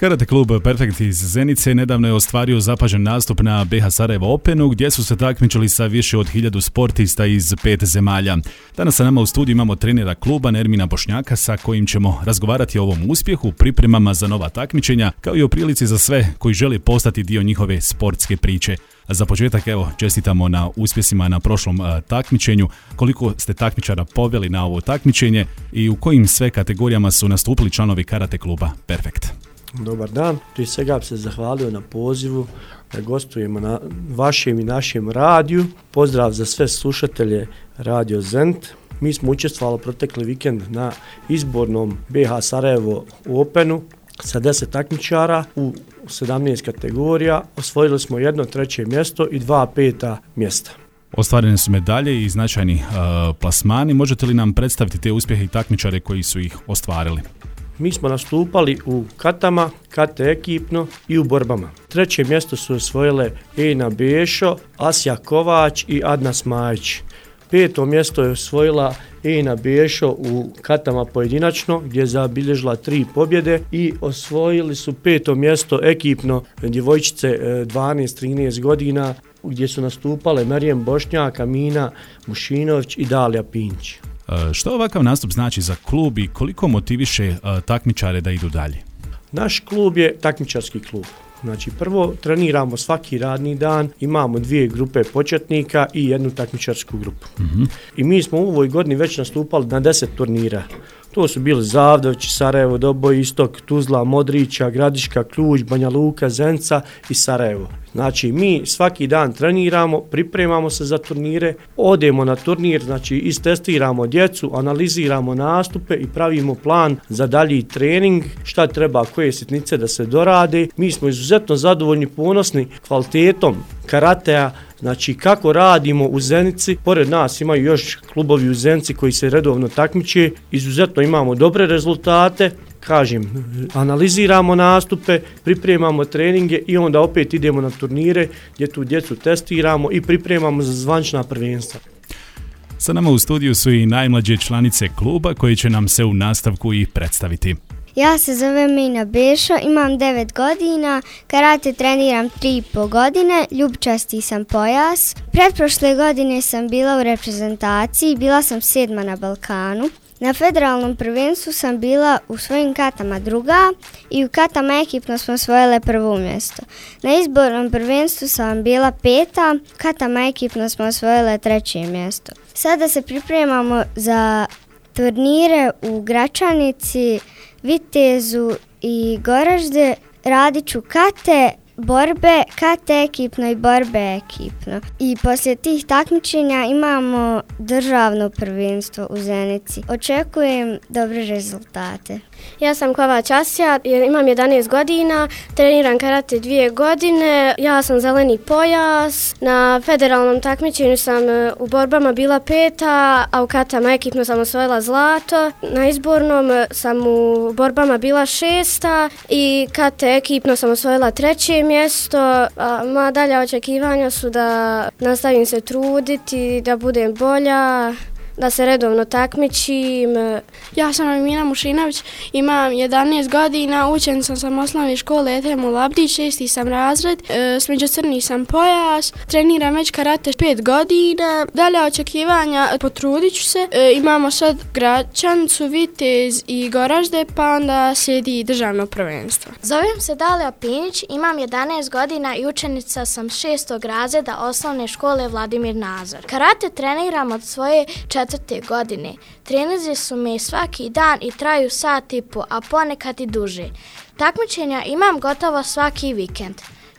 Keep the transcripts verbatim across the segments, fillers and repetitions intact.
Karate klub Perfekt iz Zenice nedavno je ostvario zapažen nastup na B H Sarajevo Openu gdje su se takmičili sa više od hiljadu sportista iz pet zemalja. Danas sa nama u studiju imamo trenera kluba Nermina Bošnjaka sa kojim ćemo razgovarati o ovom uspjehu, pripremama za nova takmičenja kao i o prilici za sve koji žele postati dio njihove sportske priče. Za početak, evo, čestitamo na uspjesima na prošlom uh, takmičenju. Koliko ste takmičara poveli na ovo takmičenje i u kojim sve kategorijama su nastupili članovi karate kluba Perfekt? Dobar dan, prije svega bi se zahvalio na pozivu da gostujemo na vašem i našem radiju. Pozdrav za sve slušatelje Radio Zenit. Mi smo učestvovali protekli vikend na izbornom B H Sarajevo Openu sa deset takmičara u sedamnaest kategorija. Osvojili smo jedno treće mjesto i dva peta mjesta. Ostvarene su medalje i značajni uh, plasmani. Možete li nam predstaviti te uspjehe i takmičare koji su ih ostvarili? Mi smo nastupali u katama, kate ekipno i u borbama. Treće mjesto su osvojile Ejna Bešo, Asja Kovač i Adna Smajić. Peto mjesto je osvojila Ejna Bešo u katama pojedinačno gdje je zabilježila tri pobjede i osvojili su peto mjesto ekipno djevojčice dvanaest trinaest godina gdje su nastupale Marijem Bošnjak, Amina Mušinović i Dalija Pinć. Što ovakav nastup znači za klub i koliko motiviše uh, takmičare da idu dalje? Naš klub je takmičarski klub. Znači prvo treniramo svaki radni dan, imamo dvije grupe početnika i jednu takmičarsku grupu. Mm-hmm. I mi smo u ovoj godini već nastupali na deset turnira. To su bili Zavdović, Sarajevo, Doboj, Istok, Tuzla, Modrića, Gradiška, Ključ, Banja Luka, Zenica i Sarajevo. Znači mi svaki dan treniramo, pripremamo se za turnire, odemo na turnir, znači istestiramo djecu, analiziramo nastupe i pravimo plan za dalji trening, šta treba, koje sitnice da se dorade. Mi smo izuzetno zadovoljni, ponosni kvalitetom karatea, znači kako radimo u Zenici. Pored nas imaju još klubovi u Zenici koji se redovno takmiče, izuzetno imamo dobre rezultate. Kažem, analiziramo nastupe, pripremamo treninge i onda opet idemo na turnire gdje tu djecu testiramo i pripremamo za zvanična prvenstva. Sa nama u studiju su i najmlađe članice kluba koji će nam se u nastavku i predstaviti. Ja se zovem Ejna Bešo, imam devet godina, karate treniram tri i pol godine, ljubčasti sam pojas. Pretprošle godine sam bila u reprezentaciji, bila sam sedma na Balkanu. Na federalnom prvenstvu sam bila u svojim katama druga i u katama ekipno smo osvojile prvo mjesto. Na izbornom prvenstvu sam bila peta, katama ekipno smo osvojile treće mjesto. Sada se pripremamo za turnire u Gračanici, Vitezu i Goražde. Radit ću kate, borbe, kate ekipno i borbe ekipno. I poslije tih takmičenja imamo državno prvenstvo u Zenici. Očekujem dobre rezultate. Ja sam Kovač Asja, imam jedanaest godina, treniram karate dvije godine, ja sam zeleni pojas, na federalnom takmičenju sam u borbama bila peta, a u katama ekipno sam osvojila zlato, na izbornom sam u borbama bila šesta i kate ekipno sam osvojila treće mjesto, a moja dalja očekivanja su da nastavim se truditi, da budem bolja, da se redovno takmičim. Ja sam Amina Mušinović, imam jedanaest godina, učenica sam osnovne škole Etemu Labdić, šesti sam razred, e, smeđu crni sam pojas, treniram već karate pet godina, dalje očekivanja, potrudit ću se. E, imamo sad Gračanicu, Vitez i Goražde, pa onda slijedi državno prvenstvo. Zovem se Dalija Pinć, imam jedanaest godina i učenica sam šestog razreda osnovne škole Vladimir Nazor. Karate treniram od svoje četvrte godine. Treninzi su mi svaki dan i traju sat i po, a ponekad i duže. Takmičenja imam gotovo svaki vikend.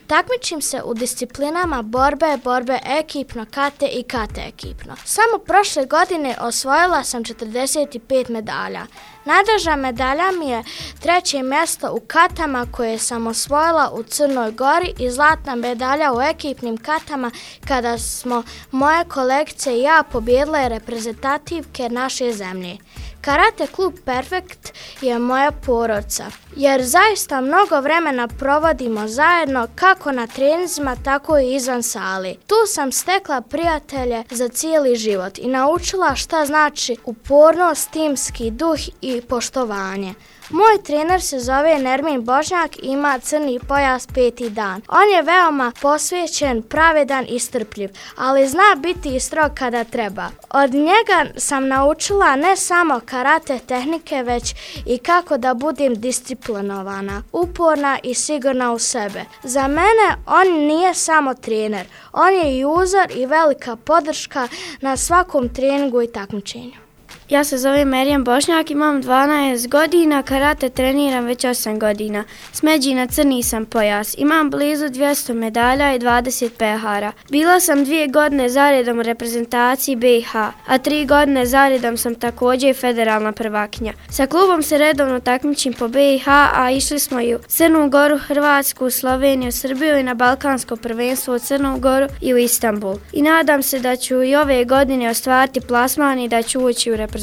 Takmičim se u disciplinama borbe, borbe ekipno, kate i kate ekipno. Samo prošle godine osvojila sam četrdeset pet medalja. Najdraža medalja mi je treće mjesto u katama koje sam osvojila u Crnoj Gori i zlatna medalja u ekipnim katama kada smo moje kolegice i ja pobijedile reprezentativke naše zemlje. Karate klub Perfekt je moja porodica, jer zaista mnogo vremena provodimo zajedno kako na treninzima, tako i izvan sali. Tu sam stekla prijatelje za cijeli život i naučila šta znači upornost, timski duh i poštovanje. Moj trener se zove Nermin Bošnjak i ima crni pojas peti dan. On je veoma posvećen, pravedan i strpljiv, ali zna biti i strog kada treba. Od njega sam naučila ne samo karate tehnike, već i kako da budem disciplinovana, uporna i sigurna u sebe. Za mene on nije samo trener, on je i uzor i velika podrška na svakom treningu i takmičenju. Ja se zovem Merijem Bošnjak, imam dvanaest godina, karate treniram već osam godina. S Međina crni sam pojas, imam blizu dvjesto medalja i dvadeset pehara. Bila sam dvije godine zaredom u reprezentaciji B i H, a tri godine zaredom sam također federalna prvakinja. Sa klubom se redovno takmičim po B i H, a išli smo i u Crnu Goru, Hrvatsku, Sloveniju, Srbiju i na Balkansko prvenstvo u Crnu Goru i u Istanbul. I nadam se da ću i ove godine ostvariti plasman i da ću ući u reprezentaciju.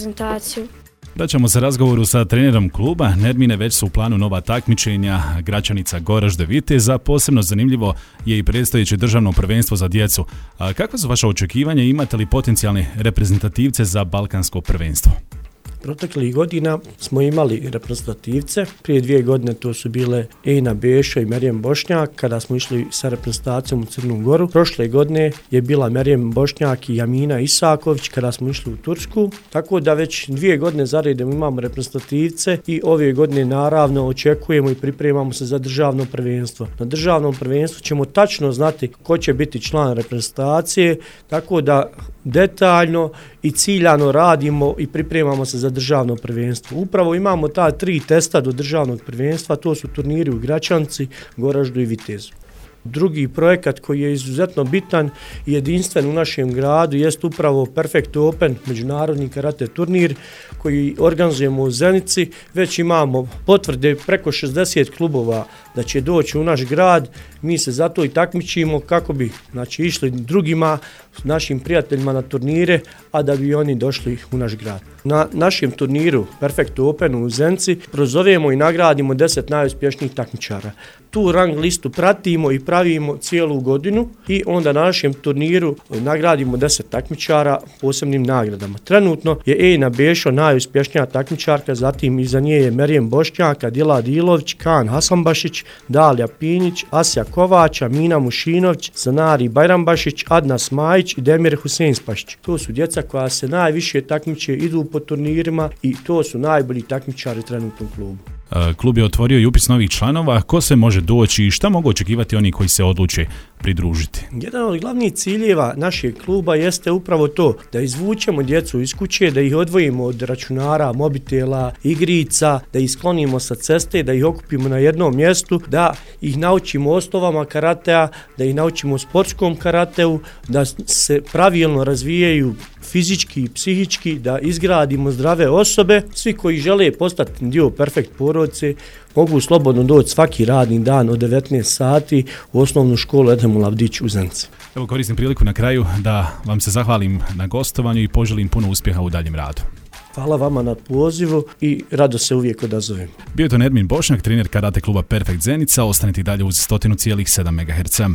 Vraćamo se razgovoru sa trenerom kluba. Nermine, već su u planu nova takmičenja Gračanica Goražde Viteza. Posebno zanimljivo je i predstojeće državno prvenstvo za djecu. A kakva su vaša očekivanja i imate li potencijalne reprezentativce za balkansko prvenstvo? Proteklih godina smo imali reprezentativce, prije dvije godine to su bile Ejna Bešo i Merijem Bošnjak kada smo išli sa reprezentacijom u Crnu Goru. Prošle godine je bila Merijem Bošnjak i Jamina Isaković kada smo išli u Tursku, tako da već dvije godine za redom imamo reprezentativce i ove godine naravno očekujemo i pripremamo se za državno prvenstvo. Na državnom prvenstvu ćemo tačno znati ko će biti član reprezentacije, tako da detaljno i ciljano radimo i pripremamo se za državno prvenstvo. Upravo imamo ta tri testa do državnog prvenstva, to su turniri u Gračanci, Goraždu i Vitezu. Drugi projekat koji je izuzetno bitan i jedinstven u našem gradu jest upravo Perfect Open, međunarodni karate turnir koji organizujemo u Zenici. Već imamo potvrde preko šezdeset klubova da će doći u naš grad. Mi se zato i takmičimo kako bi znači, išli drugima, našim prijateljima na turnire, a da bi oni došli u naš grad. Na našem turniru Perfect Openu u Zenici prozovemo i nagradimo deset najuspješnijih takmičara. Tu rang listu pratimo i pravimo cijelu godinu i onda na našem turniru nagradimo deset takmičara posebnim nagradama. Trenutno je Ejna Bešo najuspješnija takmičarka, zatim iza nje je Merijem Bošnjak, Adila Dilović, Kan Hasanbašić, Dalija Pinjić, Asja Kovača, Mina Mušinović, Zanari Bajrambašić, Adna Smajić i Demir Huseinspašić. To su djeca koja se najviše takmiče, idu po turnirima i to su najbolji takmičari trenutno u klubu. Klub je otvorio i upis novih članova. Ko se može doći i šta mogu očekivati oni koji se odluče pridružiti? Jedan od glavnih ciljeva našeg kluba jeste upravo to, da izvučemo djecu iz kuće, da ih odvojimo od računara, mobitela, igrica, da ih sklonimo sa ceste, da ih okupimo na jednom mjestu, da ih naučimo osnovama karatea, da ih naučimo sportskom karateu, da se pravilno razvijaju fizički i psihički, da izgradimo zdrave osobe. Svi koji žele postati dio Perfect porodice mogu slobodno doći svaki radni dan od devetnaest sati u osnovnu školu Edhem Lavdić u Zenici. Evo, koristim priliku na kraju da vam se zahvalim na gostovanju i poželim puno uspjeha u daljem radu. Hvala vama na pozivu i rado se uvijek odazovem. Bio je to Nermin Bošnjak, trener karate kluba Perfect Zenica. Ostanite dalje uz sto zarez sedam megaherca.